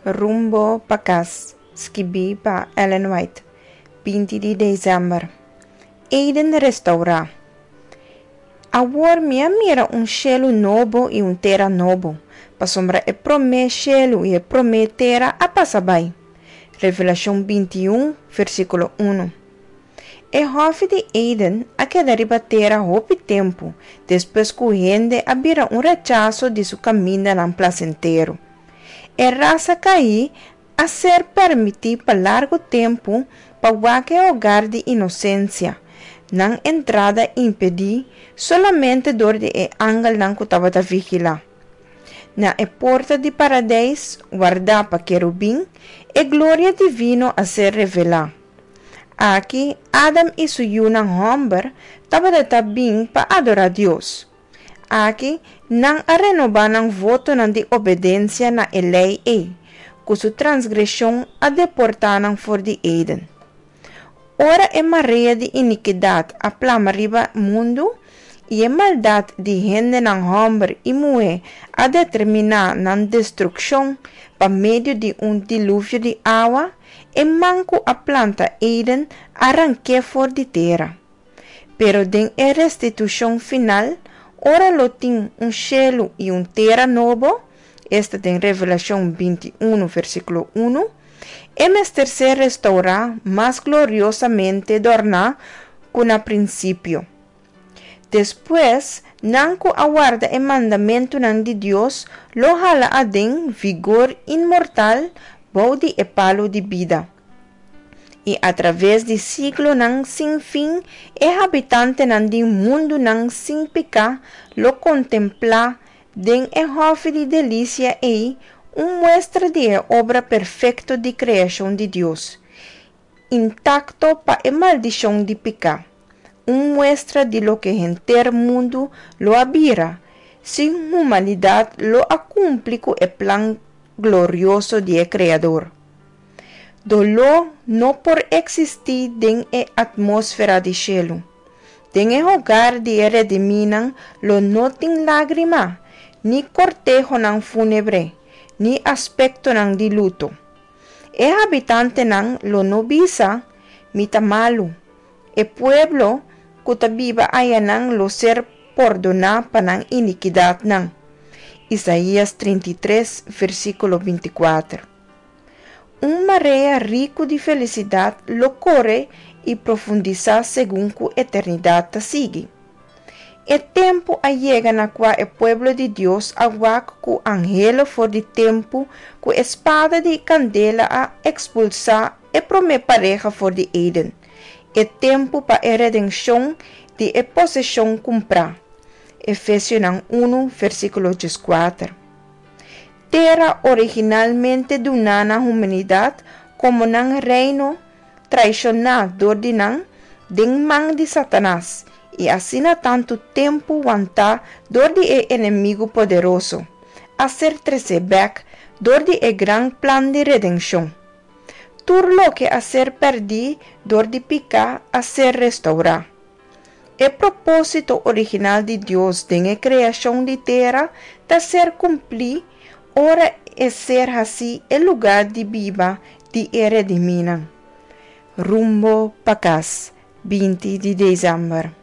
Rumbo pa Kas, skibí pa Ellen White, 20 di desèmber. Eden restourá. Awor mi a mira un shelu nobo i un tera nobo, pasobra e promé shelu i e promé tera a pasa bai. Revelashon 21, versíkulo 1. E hòfi di Eden a keda riba tera hopi tempu despues ku hende a bira un rechaso di su kamindanan plasentero. E rasa kaí a ser permití pa largu tempu pa wak e hogar di inosensia, nan entrada impedí solamente dor di e angelnan ku tabata vigilá. Na e porta di Paradeis, wardá pa kerubin, e gloria divino a ser revelá. Aki, Adam i su yunan hòmber tabata ta bin pa adorá Dios. Aki, nan a renobá nan votonan di obedensia na e lei ei, ku su transgreshon a deportá nan for di Eden. Ora e marea di inikidat a plama riba mundu, i e maldat di hendenan hòmber i muhé a determiná nan destrukshon pa medio di un diluvio di awa, e man ku a planta Eden a rank'é for di tera. Pero den e restitushon final, ora lo tin un shelu i un tera nobo, esta den Revelashon 21 versíkulo 1, e mester ser restourá mas gloriosamente dòrná ku na prinsipio. Despues, nan ku a warda e mandamentunan di Dios lo hala aden vigor inmortal bou di e palu di bida. I atraves di siglonan sin fin e habitantenan di mundunan sin piká lo kontemplá den e hòfi di delisia ei un muestra di e obra perfekto di kreashon di Dios, intakto pa e maldishon di piká, un muestra di loke henter mundu lo a bira si humanidat lo a kumpli ku e plan glorioso di e Kreador. Doló no por eksistí den e atmósfera di shelu. Den e hogar di e redimínan lo no tin lágrima, ni kortehonan fúnebre, ni aspektonan di luto. E habitantenan lo no bisa, Mi ta malu. E pueblo ku ta biba ayanan lo ser pordoná pa nan inikidatnan. Isaías 33, versíkulo 24. Un marea riku di felisidat lo kore i profundisá segun ku eternidat ta sigui. E tempu a yega na kua e pueblo di Dios a wak ku anhelo for di tempu ku e spada di kandela a ekspulsá e promé pareha for di Eden, e tempu pa e redenshon di e poseshon kumprá. Efesionan 1, versíkulo 14. Tera originalmente duná na humanidat komo nan reino, traishoná dor di nan, den man di Satanas, i asina tantu tempu wantá dor di e enemigu poderoso, a ser tresé bèk dor di e gran plan di redenshon. Tur loke a ser pèrdí dor di piká a ser restourá. E propósito original di Dios den e kreashon di tera ta ser kumplí ora e ser hasí e lugá di biba di e redimínan. Rumbo pa kas, 20 di desèmber.